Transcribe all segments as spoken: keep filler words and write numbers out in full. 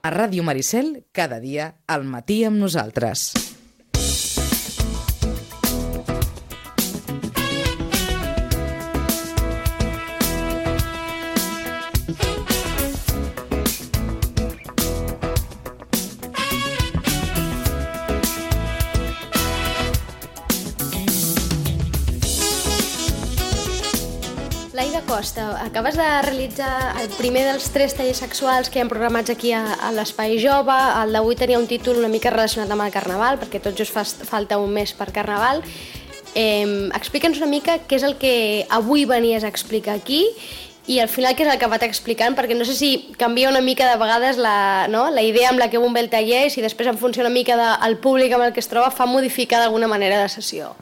A Ràdio Maricel, cada dia, al matí amb nosaltres. Laida Costa, acabes de realitzar el primer dels tres tallers sexuals que hi ha programats aquí a, a l'Espai Jove. El d'avui tenia un títol una mica relacionat amb el Carnaval, perquè tot just fa, falta un mes per Carnaval. Eh, Explica'ns una mica què és el que avui venies a explicar aquí i al final què és el que vaig explicant, perquè no sé si canvia una mica de vegades la, no? la idea amb la que un ve el taller i si després en funció una mica del públic amb el que es troba fa modificar d'alguna manera la sessió.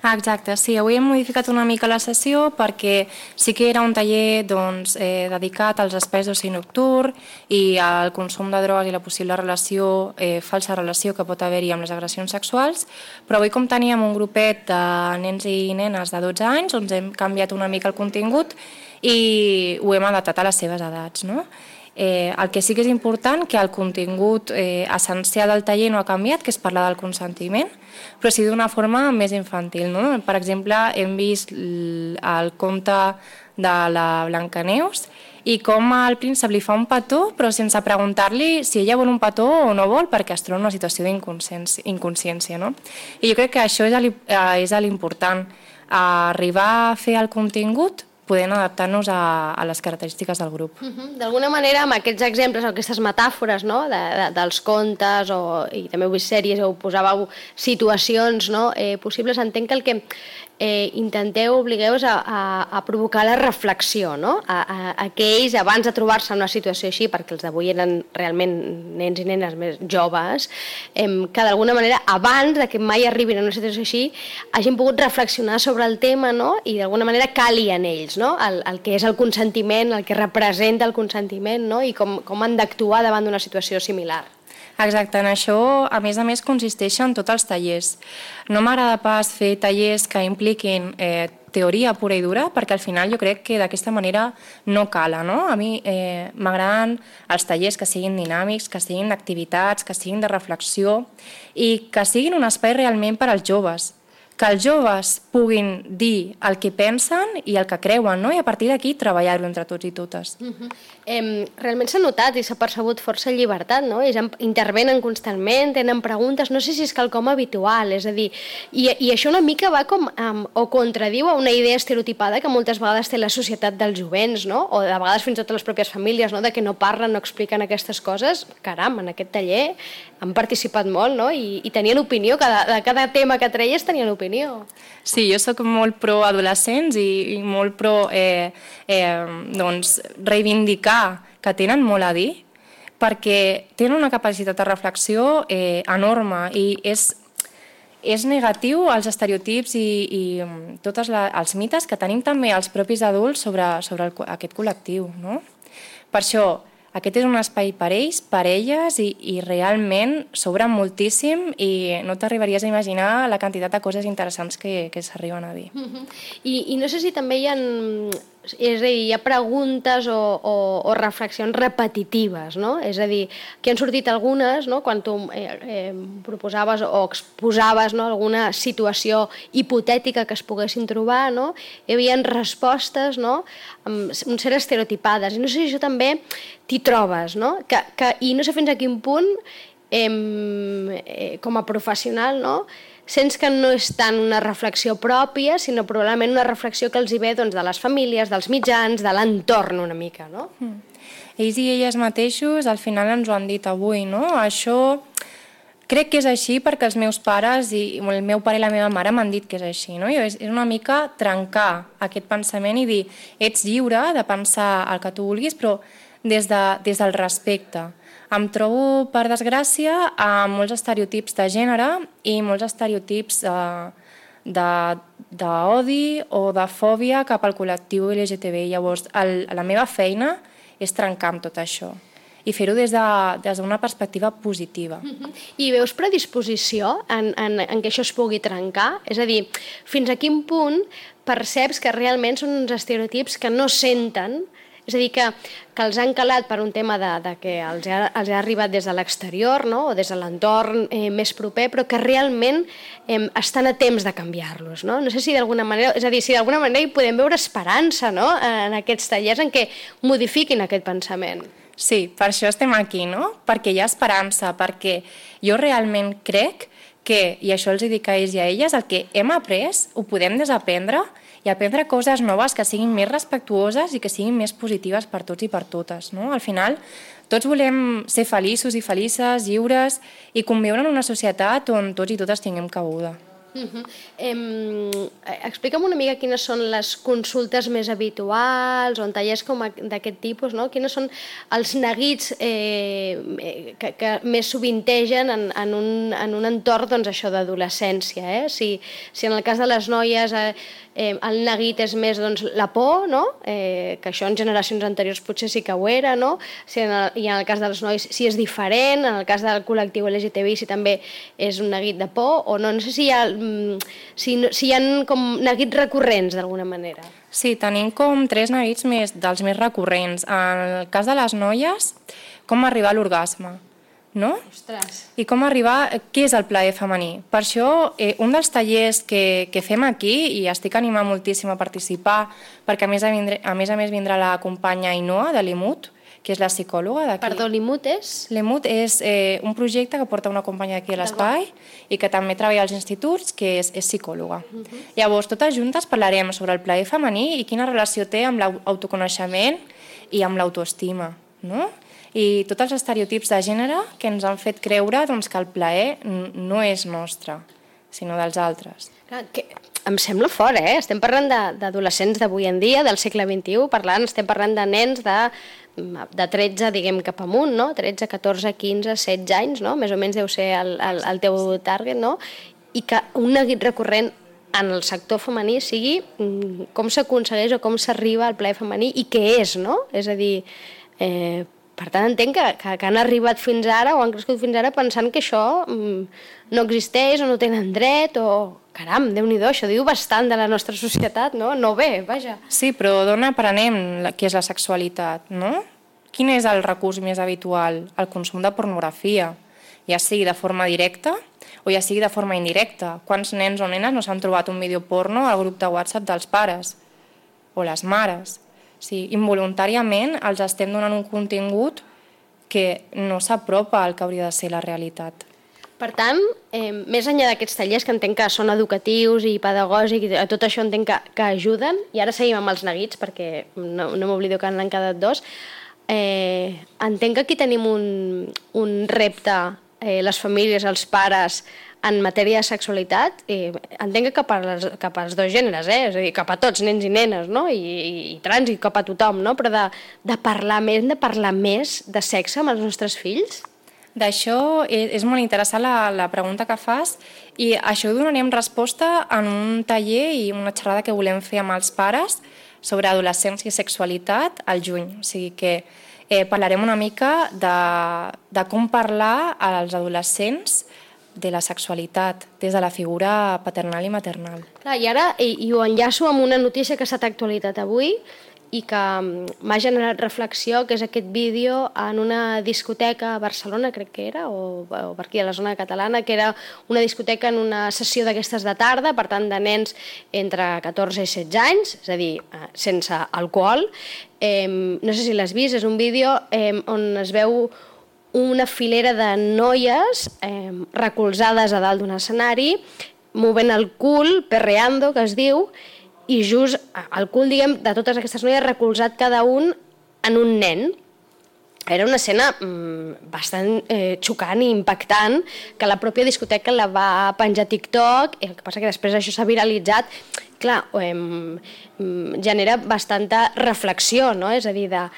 Ah, exacte, sí, avui hem modificat una mica la sessió perquè sí que era un taller doncs, eh, dedicat als espais d'oci nocturn i al consum de drogues i la possible relació, eh, falsa relació que pot haver-hi amb les agressions sexuals, però avui com teníem un grupet de nens i nenes de dotze anys, doncs hem canviat una mica el contingut i ho hem adaptat a les seves edats, no? Eh, el que sí que és important, que el contingut eh, essencial del taller no ha canviat, que és parlar del consentiment, però sí d'una forma més infantil, no? Per exemple, hem vist el conte de la Blancaneus i com al príncep li fa un petó, però sense preguntar-li si ella vol un petó o no vol, perquè es troba en una situació d'inconsciència, no? I jo crec que això és l'important, arribar a fer el contingut podent adaptar-nos a, a les característiques del grup. Uh-huh. D'alguna manera, amb aquests exemples, aquestes metàfores, no? de, de, dels contes, o, i també heu vist sèries, heu posàveu situacions, no? eh, possibles, entenc que el que eh, intenteu, obligueu a, a, a provocar la reflexió, no? a, a, a que ells, abans de trobar-se en una situació així, perquè els d'avui eren realment nens i nenes més joves, eh, que d'alguna manera, abans de que mai arribin a una situació així, hagin pogut reflexionar sobre el tema, no? I d'alguna manera cali en ells, no? El, el que és el consentiment, el que representa el consentiment, no? I com, com han d'actuar davant d'una situació similar. Exacte, en això, a més a més, consisteixen tots els tallers. No m'agrada pas fer tallers que impliquin eh, teoria pura i dura, perquè al final jo crec que d'aquesta manera no cala, no? A mi eh, m'agraden els tallers que siguin dinàmics, que siguin d'activitats, que siguin de reflexió i que siguin un espai realment per als joves, que els joves puguin dir el que pensen i el que creuen, no? I a partir d'aquí treballar-ho entre tots i totes. Uh-huh. eh, realment s'ha notat i s'ha percebut força llibertat, no? Ells intervenen constantment, tenen preguntes, no sé si és quelcom habitual, és a dir, i, i això una mica va com um, o contradiu a una idea estereotipada que moltes vegades té la societat dels jovents, no? O de vegades fins i tot les pròpies famílies, no? De que no parlen, no expliquen aquestes coses. Caram, en aquest taller han participat molt, no? I, i tenien opinió, cada, de cada tema que treies tenien opinió. Sí, jo soc molt pro adolescents i, i molt pro eh, eh, doncs, reivindicar que tenen molt a dir, perquè tenen una capacitat de reflexió eh, enorme i és, és negatiu als estereotips i, i tots els mites que tenim també els propis adults sobre, sobre el, aquest col·lectiu, no? Per això, aquest és un espai per ells, per elles, i, i realment s'obren moltíssim i no t'arribaries a imaginar la quantitat de coses interessants que, que s'arriben a dir. Uh-huh. I, I no sé si també hi ha, és a dir, hi ha preguntes o, o, o reflexions repetitives, no? És a dir, que han sortit algunes, no? Quan tu eh, eh, proposaves o exposaves, no? Alguna situació hipotètica que es poguessin trobar, no? Hi havia respostes, no? Amb un cert estereotipades, i no sé si això també t'hi trobes, no? Que, que, i no sé fins a quin punt, eh, eh, com a professional, no? Sents que no és tant una reflexió pròpia, sinó probablement una reflexió que els hi ve doncs, de les famílies, dels mitjans, de l'entorn una mica, no? Mm. Ells i elles mateixos al final ens ho han dit avui, no? Això crec que és així perquè els meus pares i el meu pare i la meva mare m'han dit que és així, no? I és una mica trencar aquest pensament i dir ets lliure de pensar el que tu vulguis, però des, de, des del respecte. Em trobo, per desgràcia, amb molts estereotips de gènere i molts estereotips d'odi o de fòbia cap al col·lectiu L G T B I. Llavors, el, la meva feina és trencar amb tot això i fer-ho des d'una de, des perspectiva positiva. Uh-huh. I veus predisposició en, en, en que això es pugui trencar? És a dir, fins a quin punt perceps que realment són uns estereotips que no senten. És a dir, que, que els han calat per un tema de, de que els ha, els ha arribat des de l'exterior, no? O des de l'entorn eh, més proper, però que realment eh, estan a temps de canviar-los. No? No sé si d'alguna manera, és a dir, si d'alguna manera hi podem veure esperança, no? En aquests tallers en què modifiquin aquest pensament. Sí, per això estem aquí, no? Perquè hi ha esperança, perquè jo realment crec que, i això els dic a ells i a elles, el que hem après ho podem desaprendre i aprendre coses noves que siguin més respectuoses i que siguin més positives per tots i per totes. No? Al final, tots volem ser feliços i felices, lliures i conviure en una societat on tots i totes tinguem cabuda. Uh-huh. eh, explica'm una mica quines són les consultes més habituals o en tallers com d'aquest tipus, no? Quines són els neguits eh, que, que més sovintegen en, en, un, en un entorn doncs, això d'adolescència. Eh? Si, si en el cas de les noies eh, eh, el neguit és més doncs, la por, no? eh, que això en generacions anteriors potser sí que ho era, no? Si en el, i en el cas dels nois si és diferent, en el cas del col·lectiu L G T B I si també és un neguit de por o no, no sé si hi ha Si, si hi ha com neguits recurrents d'alguna manera. Sí, tenim com tres neguits més, dels més recurrents. En el cas de les noies, com arribar a l'orgasme, no? Ostres. I com arribar, què és el plaer femení? Per això, eh, un dels tallers que, que fem aquí, i estic animant moltíssim a participar, perquè a més a, vindre, a, més, a més vindrà la companya Ainhoa de l'I M U T, que és la psicòloga d'aquí. Perdó, l'I M U T és? L'I M U T és eh, un projecte que porta una companya d'aquí a l'Espai i que també treballa als instituts, que és, és psicòloga. Uh -huh. Llavors, totes juntes parlarem sobre el plaer femení i quina relació té amb l'autoconeixement i amb l'autoestima, no? I tots els estereotips de gènere que ens han fet creure doncs, que el plaer no és nostre, sinó dels altres. Que em sembla fort, eh? Estem parlant d'adolescents d'avui en dia, del segle vint-i-u, parlant, estem parlant de nens de, de tretze, diguem, cap amunt, no? tretze, catorze, quinze, setze anys, no? Més o menys deu ser el, el, el teu target, no? I que un neguit recurrent en el sector femení sigui com s'aconsegueix o com s'arriba al plaer femení i què és, no? És a dir, eh, per tant, entenc que, que, que han arribat fins ara o han crescut fins ara pensant que això mm, no existeix o no tenen dret o... Caram, Déu-n'hi-do, això diu bastant de la nostra societat, no? No bé, vaja. Sí, però d'on aprenem què és la sexualitat, no? Quin és el recurs més habitual? El consum de pornografia, ja sigui de forma directa o ja sigui de forma indirecta. Quants nens o nenes no s'han trobat un vídeo porno al grup de WhatsApp dels pares o les mares? Sí, involuntàriament els estem donant un contingut que no s'apropa al que hauria de ser la realitat. Per tant, eh, més enllà d'aquests tallers que entenc que són educatius i pedagògics, i tot això entenc que, que ajuden, i ara seguim amb els neguits perquè no, no m'oblido que n'han quedat dos, eh, entenc que aquí tenim un, un repte, eh, les famílies, els pares, en matèria de sexualitat, eh, entenc que cap, a les, cap als dos gèneres, eh? És a dir, cap a tots, nens i nenes, no? I, i, i trans, i cap a tothom, no? Però de, de parlar més, de parlar més de sexe amb els nostres fills? D'això és molt interessant la, la pregunta que fas i això ho donarem resposta en un taller i una xerrada que volem fer amb els pares sobre adolescència i sexualitat al juny. O sigui que eh, parlarem una mica de, de com parlar als adolescents de la sexualitat des de la figura paternal i maternal. Clar, i ara i, i ho enllaço amb una notícia que ha estat actualitat avui i que m'ha generat reflexió, que és aquest vídeo en una discoteca a Barcelona, crec que era, o, o per aquí a la zona catalana, que era una discoteca en una sessió d'aquestes de tarda, per tant de nens entre catorze i setze anys, és a dir, sense alcohol. Eh, no sé si l'has vist, és un vídeo eh, on es veu una filera de noies eh, recolzades a dalt d'un escenari, movent el cul, perreando, que es diu, i just el cul, diguem, de totes aquestes noies recolzat cada un en un nen. Era una escena mmm, bastant eh, xocant i impactant, que la pròpia discoteca la va penjar a TikTok, i el que passa que després això s'ha viralitzat. Clar, eh, genera bastanta reflexió, no? És a dir, de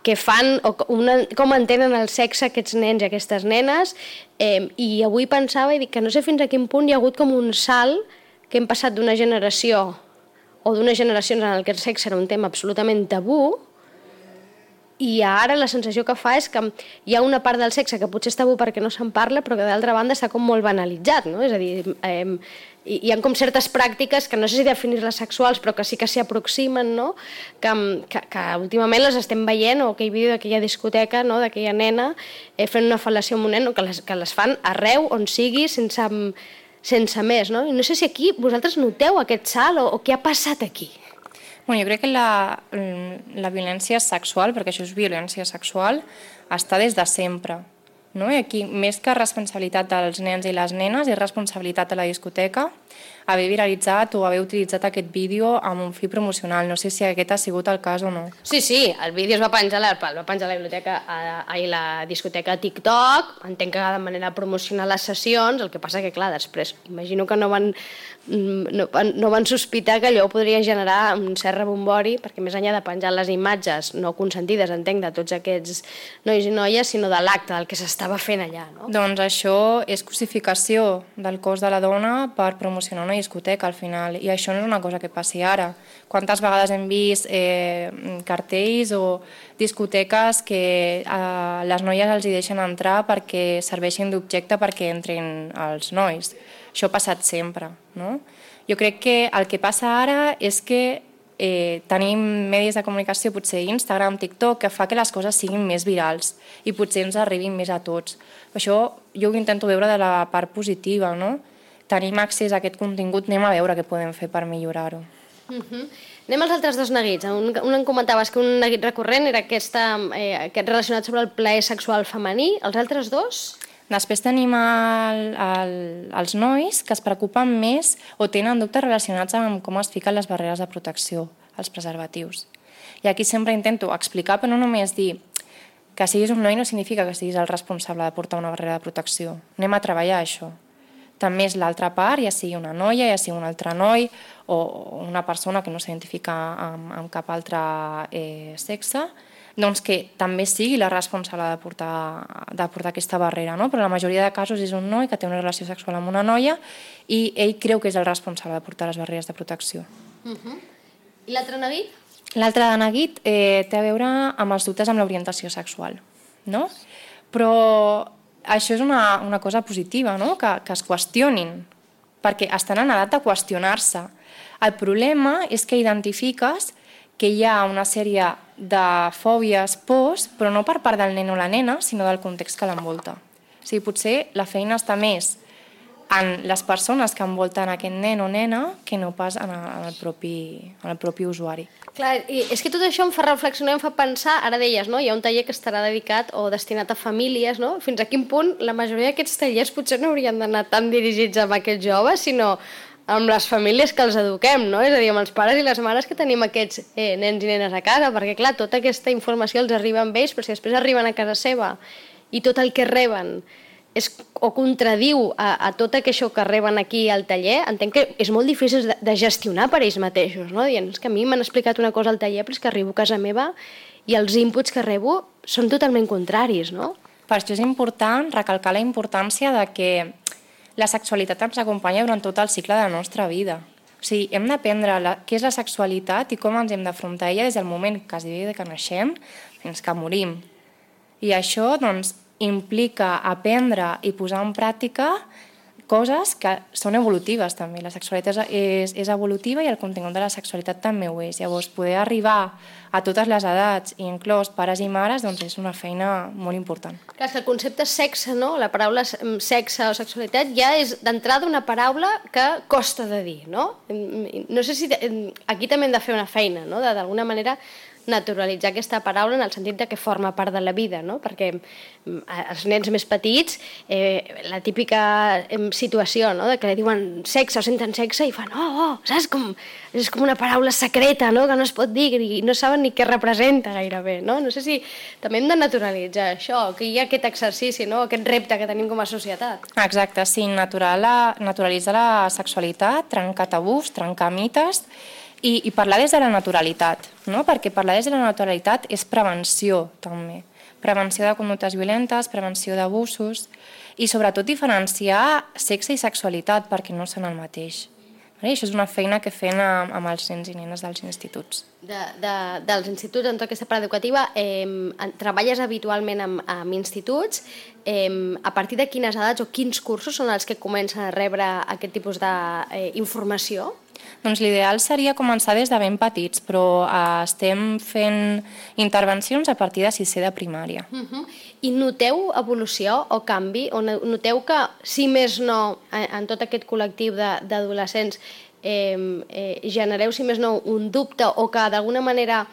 què fan o una, com entenen el sexe aquests nens i aquestes nenes, eh, i avui pensava i dic que no sé fins a quin punt hi ha hagut com un salt que hem passat d'una generació o d'unes generacions en què el sexe era un tema absolutament tabú I ara la sensació que fa és que hi ha una part del sexe que potser és tabú perquè no se'n parla, però que d'altra banda està com molt banalitzat, no? És a dir, eh, hi ha com certes pràctiques que no sé si definir-les sexuals, però que sí que s'hi aproximen, no? Que, que, que últimament les estem veient, o aquell vídeo d'aquella discoteca, no? D'aquella nena eh, fent una fal·lació amb un nen, que les, que les fan arreu, on sigui, sense, sense més, no? I no sé si aquí vosaltres noteu aquest salt o, o què ha passat aquí. Bueno, jo crec que la, la violència sexual, perquè això és violència sexual, està des de sempre. No? I aquí, més que responsabilitat dels nens i les nenes, és responsabilitat de la discoteca haver viralitzat o haver utilitzat aquest vídeo amb un fi promocional. No sé si aquest ha sigut el cas o no. Sí, sí, el vídeo es va penjar a la, va penjar a la biblioteca, a, a la discoteca TikTok, entenc que de manera de promocionar les sessions, el que passa que, clar, després, imagino que no van, no, no van sospitar que allò podria generar un cert rebombori, perquè més enllà de penjar les imatges no consentides, entenc, de tots aquests nois i noies, sinó de l'acte, del que s'estava fent allà, no? Doncs això és cosificació del cos de la dona per promocionar una discoteca al final, i això no és una cosa que passi ara. Quantes vegades hem vist eh, cartells o discoteques que eh, les noies els hi deixen entrar perquè serveixin d'objecte perquè entrin els nois. Això ha passat sempre, no? Jo crec que el que passa ara és que eh, tenim medis de comunicació, potser Instagram, TikTok, que fa que les coses siguin més virals i potser ens arribin més a tots. Això jo ho intento veure de la part positiva, no? Tenim accés a aquest contingut, anem a veure què podem fer per millorar-ho. Uh-huh. Anem als altres dos neguits. Un, un em comentaves que un neguit recurrent era aquesta, eh, aquest relacionat sobre el plaer sexual femení. Els altres dos? Després tenim el, el, els nois que es preocupen més o tenen dubtes relacionats amb com es fiquen les barreres de protecció, els preservatius. I aquí sempre intento explicar, però no només dir que siguis un noi no significa que siguis el responsable de portar una barrera de protecció. Anem a treballar això. També és l'altra part, ja sigui una noia, ja sigui un altre noi o una persona que no s'identifica amb, amb cap altre eh, sexe, doncs que també sigui la responsable de portar, de portar aquesta barrera, no? Però la majoria de casos és un noi que té una relació sexual amb una noia i ell creu que és el responsable de portar les barreres de protecció. Uh-huh. I l'altre neguit? L'altre neguit eh, té a veure amb els dubtes amb l'orientació sexual, no? Però això és una, una cosa positiva, no? que, que es qüestionin, perquè estan en edat de qüestionar-se. El problema és que identifiques que hi ha una sèrie de fòbies, pors, però no per part del nen o la nena, sinó del context que l'envolta. O sigui, potser la feina està més en les persones que envolten aquest nen o nena que no pas en el, en el, propi, en el propi usuari. Clar, i és que tot això em fa reflexionar, em fa pensar, ara deies, no? Hi ha un taller que estarà dedicat o destinat a famílies, no? Fins a quin punt la majoria d'aquests tallers potser no haurien d'anar tan dirigits amb aquests joves, sinó amb les famílies que els eduquem, no? És a dir, amb els pares i les mares que tenim aquests eh, nens i nenes a casa, perquè clar, tota aquesta informació els arriba amb ells, però si després arriben a casa seva i tot el que reben és, o contradiu a, a tot això que reben aquí al taller, entenc que és molt difícil de, de gestionar per ells mateixos, no? Dient, és que a mi m'han explicat una cosa al taller, però és que arribo a casa meva i els inputs que rebo són totalment contraris, no? Per això és important recalcar la importància de que la sexualitat ens acompanya durant tot el cicle de la nostra vida. O sigui, hem d'aprendre la, què és la sexualitat i com ens hem d'afrontar a ella des del moment quasi bé que naixem fins que morim. I això, doncs, implica aprendre i posar en pràctica coses que són evolutives també. La sexualitat és, és evolutiva i el contingut de la sexualitat també ho és. Llavors, poder arribar a totes les edats, inclòs pares i mares, doncs és una feina molt important. Clar, que el concepte sexe, no? La paraula sexe o sexualitat ja és d'entrada una paraula que costa de dir, no? No sé si aquí també hem de fer una feina, no? D'alguna manera naturalitzar aquesta paraula en el sentit de que forma part de la vida, no? Perquè els nens més petits, eh, la típica situació, no? De que li diuen sexe o senten sexe i fan, oh, oh, saps? Com, és com una paraula secreta, no? Que no es pot dir i no saben ni què representa gairebé, no? No sé si també hem de naturalitzar això, que hi ha aquest exercici, no? Aquest repte que tenim com a societat. Exacte, sí, natural, naturalitzar la sexualitat, trencar tabús, trencar mites, I, i parlar des de la naturalitat, no? Perquè parlar des de la naturalitat és prevenció també, prevenció de conductes violentes, prevenció d'abusos i sobretot diferenciar sexe i sexualitat perquè no són el mateix. I això és una feina que fem amb, amb els nens i nenes dels instituts. De, de, dels instituts, en tota aquesta part educativa, eh, treballes habitualment amb, amb instituts. Eh, a partir de quines edats o quins cursos són els que comencen a rebre aquest tipus d'informació? Doncs l'ideal seria començar des de ben petits, però eh, estem fent intervencions a partir de sisè de primària. Uh-huh. I noteu evolució o canvi? O noteu que, si més no, en, en tot aquest col·lectiu d'adolescents eh, eh, genereu, si més no, un dubte o que d'alguna manera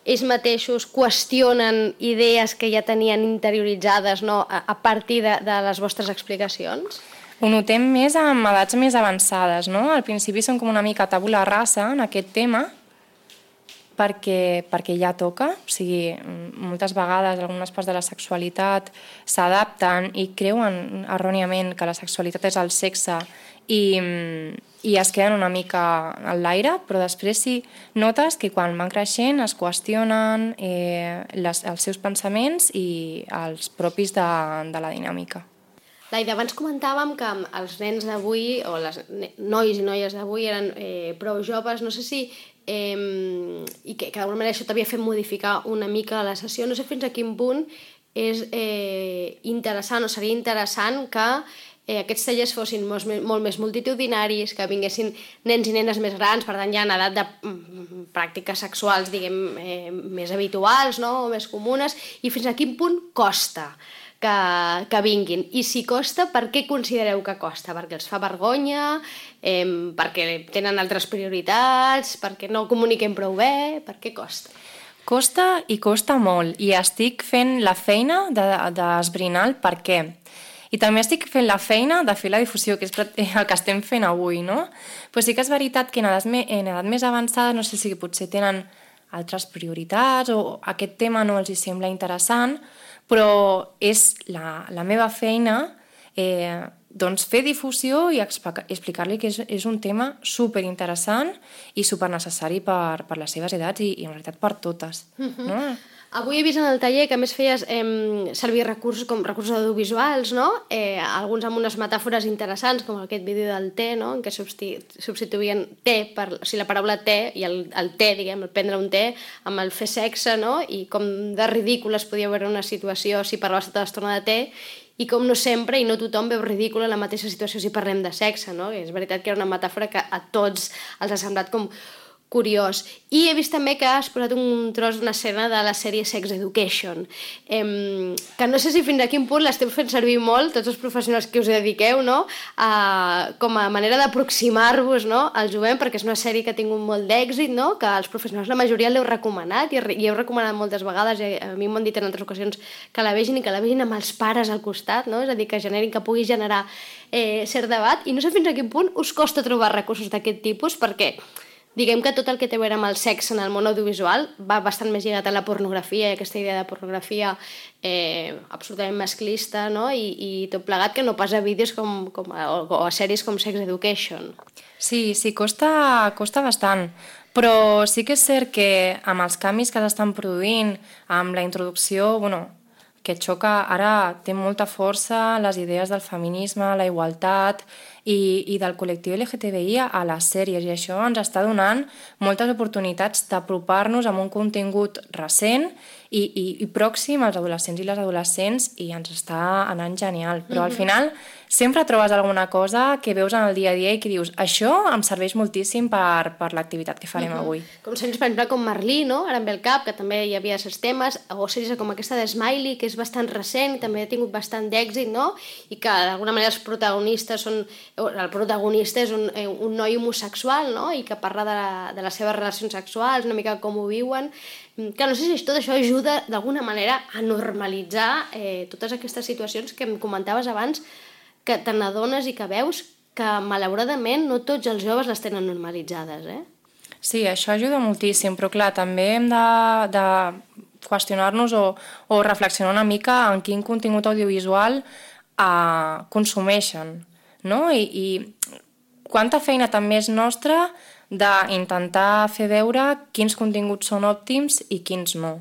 ells mateixos qüestionen idees que ja tenien interioritzades, no, a, a partir de, de les vostres explicacions? Ho notem més amb edats més avançades, no? Al principi són com una mica tabula rasa en aquest tema, perquè, perquè ja toca, o sigui, moltes vegades algunes parts de la sexualitat s'adapten i creuen erròniament que la sexualitat és el sexe i, i es queden una mica a l'aire, però després sí notes que quan van creixent es qüestionen eh, les, els seus pensaments i els propis de, de la dinàmica. Laida, abans comentàvem que els nens d'avui, o les nois i noies d'avui eren eh, prou joves, no sé si, eh, i que, que d'alguna manera això t'havia fet modificar una mica la sessió, no sé fins a quin punt és eh, interessant o seria interessant que eh, aquests tallers fossin molt, molt més multitudinaris, que vinguessin nens i nenes més grans, per tant ja en edat de mm, pràctiques sexuals, diguem, eh, més habituals, no?, o més comunes, i fins a quin punt costa Que, que vinguin. I si costa, per què considereu que costa? Perquè els fa vergonya, eh, perquè tenen altres prioritats, perquè no comuniquen prou bé, per què costa? Costa i costa molt, i estic fent la feina d'esbrinar el per què. I també estic fent la feina de fer la difusió, que és el que estem fent avui, no? Però sí que és veritat que en edat, en edat més avançada, no sé si potser tenen altres prioritats o aquest tema no els hi sembla interessant, però és la, la meva feina eh, doncs fer difusió i explicar-li que és, és un tema superinteressant i supernecessari per, per les seves edats i, i en realitat per totes. Uh-huh. No? Avui he vist en el taller que a més feies eh, servir recursos com recursos audiovisuals, no? Eh, alguns amb unes metàfores interessants, com aquest vídeo del té, no?, en què substituïen té, per, o sigui, la paraula té i el, el té, diguem, el prendre un té, amb el fer sexe, no?, i com de ridícula es podia veure una situació si parlaves tota l'estona de té, i com no sempre i no tothom veu ridícula la mateixa situació si parlem de sexe, no? I és veritat que era una metàfora que a tots els ha semblat com curiós. I he vist també que has posat un tros d'una escena de la sèrie Sex Education, eh, que no sé si fins a quin punt l'estem fent servir molt, tots els professionals que us dediqueu, no?, a, com a manera d'aproximar-vos, no?, al jovent, perquè és una sèrie que ha tingut molt d'èxit, no?, que els professionals la majoria l'heu recomanat i, i heu recomanat moltes vegades, i a mi m'han dit en altres ocasions que la vegin i que la vegin amb els pares al costat, no?, és a dir, que generin, que pugui generar eh, cert debat, i no sé fins a quin punt us costa trobar recursos d'aquest tipus, perquè diguem que tot el que té a veure amb el sexe en el món audiovisual va bastant més lligat a la pornografia, i aquesta idea de pornografia eh, absolutament masclista, no?, I, i tot plegat que no pas a vídeos com, com a, o a sèries com Sex Education. Sí, sí, costa, costa bastant, però sí que és cert que amb els canvis que s'estan produint, amb la introducció, bueno, que xoca, ara té molta força les idees del feminisme, la igualtat i, i del col·lectiu L G T B I a les sèries, i això ens està donant moltes oportunitats d'apropar-nos amb un contingut recent i, i, i pròxim als adolescents i les adolescents, i ens està anant genial. Però al final sempre trobes alguna cosa que veus en el dia a dia i que dius, això em serveix moltíssim per, per l'activitat que farem avui. Com sèries, per exemple, com Merlí, no?, ara em ve el cap, que també hi havia aquests temes, o sèries com aquesta de Smiley, que és bastant recent, també ha tingut bastant d'èxit, no?, i que d'alguna manera els protagonistes són, el protagonista és un, un noi homosexual, no?, i que parla de, la, de les seves relacions sexuals, una mica com ho viuen, que no sé si tot això ajuda d'alguna manera a normalitzar eh, totes aquestes situacions que em comentaves abans, que te n'adones i que veus que malauradament no tots els joves les tenen normalitzades, eh? Sí, això ajuda moltíssim, però clar, també hem de, de qüestionar-nos o, o reflexionar una mica en quin contingut audiovisual eh, consumeixen, no? I, i quanta feina també és nostra d'intentar fer veure quins continguts són òptims i quins no.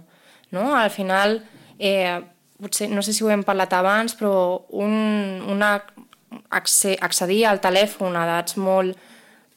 No? Al final, eh, potser, no sé si ho hem parlat abans, però un, una, accedir al telèfon a edats molt,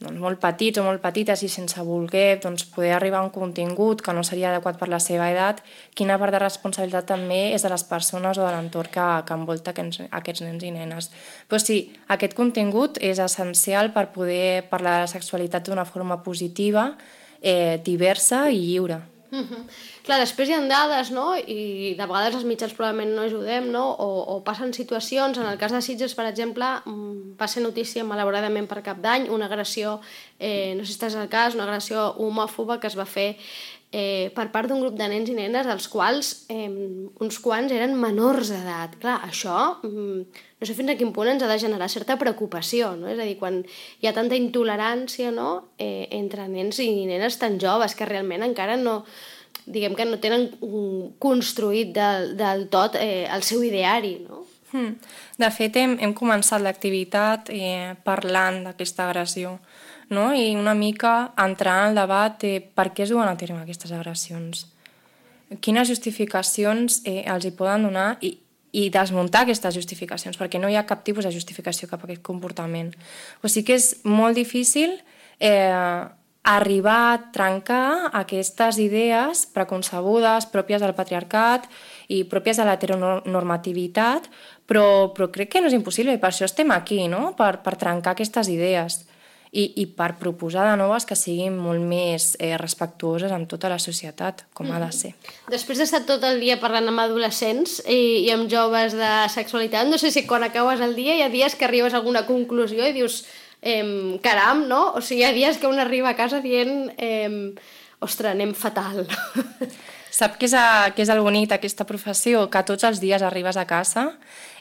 doncs, molt petits o molt petites i sense voler doncs, poder arribar a un contingut que no seria adequat per la seva edat, quina part de responsabilitat també és de les persones o de l'entorn que, que envolta aquests, aquests nens i nenes. Però sí, aquest contingut és essencial per poder parlar de la sexualitat d'una forma positiva, eh, diversa i lliure. Uh-huh. Clar, després hi ha dades, no? I de vegades els mitjans probablement no ajudem, no? O, o passen situacions, en el cas de Sitges, per exemple, va ser notícia malauradament per Cap d'Any, una agressió, eh, no sé si estàs al cas, una agressió homòfoba que es va fer eh, per part d'un grup de nens i nenes, dels quals eh, uns quants eren menors d'edat. Clar, això no sé fins a quin punt ens ha de generar certa preocupació, no? És a dir, quan hi ha tanta intolerància, no? eh, entre nens i nenes tan joves que realment encara no, diguem que no tenen construït del, del tot eh, el seu ideari, no? Hmm. De fet, hem, hem començat l'activitat eh, parlant d'aquesta agressió, no? I una mica entrar en el debat de per què es duen a terme aquestes agressions, quines justificacions eh, els hi poden donar i, i desmuntar aquestes justificacions, perquè no hi ha cap tipus de justificació cap a aquest comportament. O sigui que és molt difícil eh, arribar a trencar aquestes idees preconcebudes, pròpies del patriarcat i pròpies de l'heteronormativitat, però, però crec que no és impossible i per això estem aquí, no? Per, per trencar aquestes idees i, i per proposar de noves que siguin molt més eh, respectuoses amb tota la societat, com mm-hmm. ha de ser. Després d'estar tot el dia parlant amb adolescents i, i amb joves de sexualitat, no sé si quan acabes el dia hi ha dies que arribes a alguna conclusió i dius eh, caram, no? O sigui, hi ha dies que un arriba a casa dient eh, ostres, anem fatal. Sap què és, a, què és el bonic d'aquesta professió? Que tots els dies arribes a casa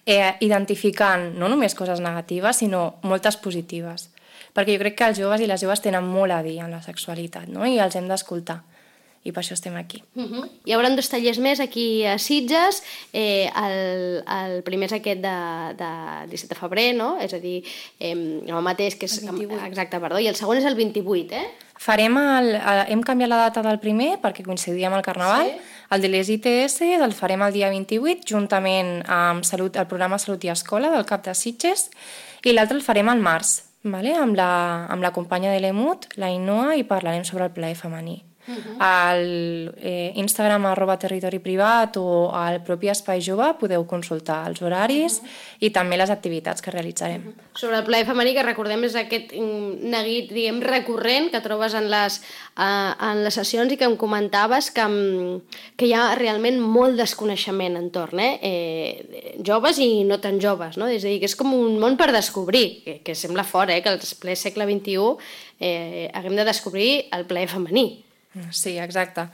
eh, identificant no només coses negatives, sinó moltes positives. Perquè jo crec que els joves i les joves tenen molt a dir en la sexualitat, no? I els hem d'escoltar. I per això estem aquí. Uh-huh. Hi haurà dos tallers més aquí a Sitges. Eh, el, el primer és aquest de, de disset de febrer, no? És a dir, eh, el mateix que és... El vint-i-vuit. Exacte, perdó. I el segon és el vint-i-vuit, eh? Farem el, el, hem canviat la data del primer perquè coincidia amb el Carnaval. Sí. El de les I T S el farem el dia vint-i-vuit juntament amb salut, el programa Salut i Escola del CAP de Sitges, i l'altre el farem al març, vale? amb, la, amb la companya de l'E M U T, la Ainhoa, i parlarem sobre el plaer femení. Uh-huh. Al eh, Instagram arroba territori privat o al propi Espai Jove podeu consultar els horaris uh-huh. i també les activitats que realitzarem. Uh-huh. Sobre el plaer femení, que recordem és aquest neguit, diguem, recurrent que trobes en les, uh, en les sessions i que em comentaves que, que hi ha realment molt desconeixement entorn, eh? Eh, joves i no tan joves, no? És a dir, que és com un món per descobrir, que, que sembla fort, eh? Que al ple segle vint-i-u eh, haguem de descobrir el plaer femení. Sí, exacte.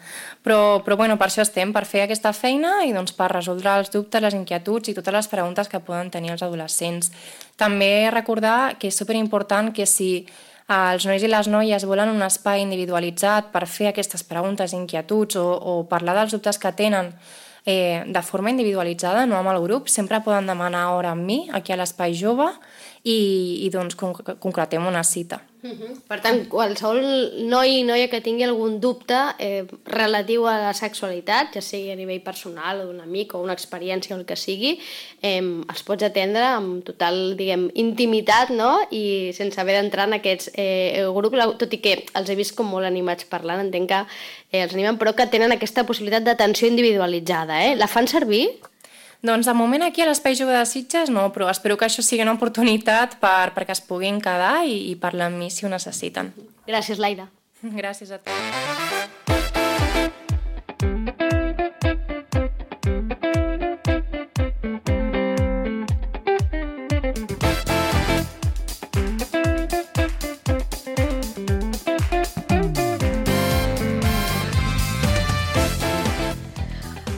Però, però bueno, per això estem, per fer aquesta feina i doncs, per resoldre els dubtes, les inquietuds i totes les preguntes que poden tenir els adolescents. També recordar que és superimportant que si els nois i les noies volen un espai individualitzat per fer aquestes preguntes, inquietuds o, o parlar dels dubtes que tenen eh, de forma individualitzada, no amb el grup, sempre poden demanar hora amb mi, aquí a l'Espai Jove, i, i doncs concretem una cita. Uh-huh. Per tant, qualsevol noi i noia que tingui algun dubte eh, relatiu a la sexualitat, ja sigui a nivell personal o d'un amic o una experiència o el que sigui, eh, els pots atendre amb total, diguem, intimitat, no? I sense haver d'entrar en aquests eh, grups, tot i que els he vist com molt animats parlant, entenc que eh, els animen, però que tenen aquesta possibilitat d'atenció individualitzada. Eh? La fan servir? Doncs de moment aquí a l'Espai Jove de Sitges no, però espero que això sigui una oportunitat per, perquè es puguin quedar i, i parlar amb mi si ho necessiten. Gràcies, Laida. Gràcies a tu.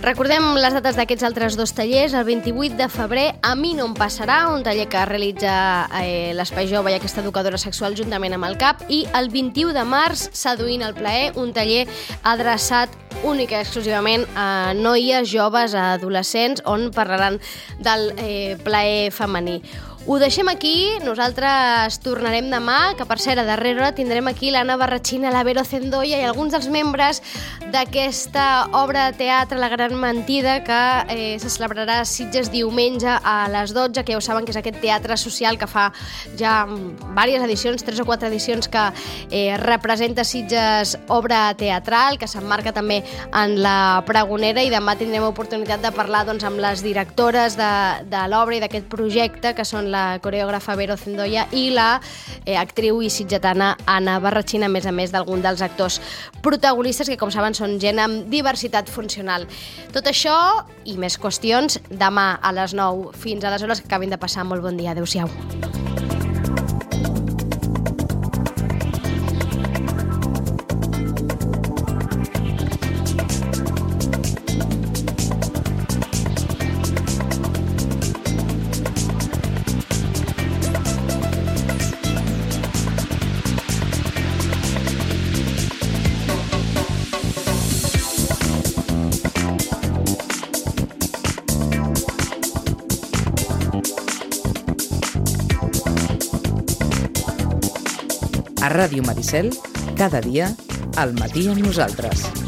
Recordem les dates d'aquests altres dos tallers. El vint-i-vuit de febrer, A mi no em passarà, un taller que realitza eh, l'Espai Jove i aquesta educadora sexual juntament amb el CAP, i el vint-i-u de març, Seduint el plaer, un taller adreçat únic i exclusivament a noies, joves, a adolescents, on parlaran del eh, plaer femení. Ho deixem aquí, nosaltres tornarem demà, que per cert, a darrera hora tindrem aquí l'Anna Barratxina, la Vero Zendoya i alguns dels membres d'aquesta obra de teatre La Gran Mentida, que eh, se celebrarà a Sitges diumenge a les dotze, que ja ho saben que és aquest teatre social que fa ja diverses edicions, tres o quatre edicions, que eh, representa Sitges obra teatral, que s'emmarca també en la Pregonera, i demà tindrem oportunitat de parlar doncs, amb les directores de, de l'obra i d'aquest projecte, que són la coreògrafa Vero Zendoya i la eh, actriu i sitgetana Anna Barratxina, a més a més d'algun dels actors protagonistes que, com saben, són gent amb diversitat funcional. Tot això i més qüestions demà a les nou. Fins aleshores, que acabin de passar molt bon dia. Adéu-siau. A Ràdio Maricel, cada dia, al matí amb nosaltres.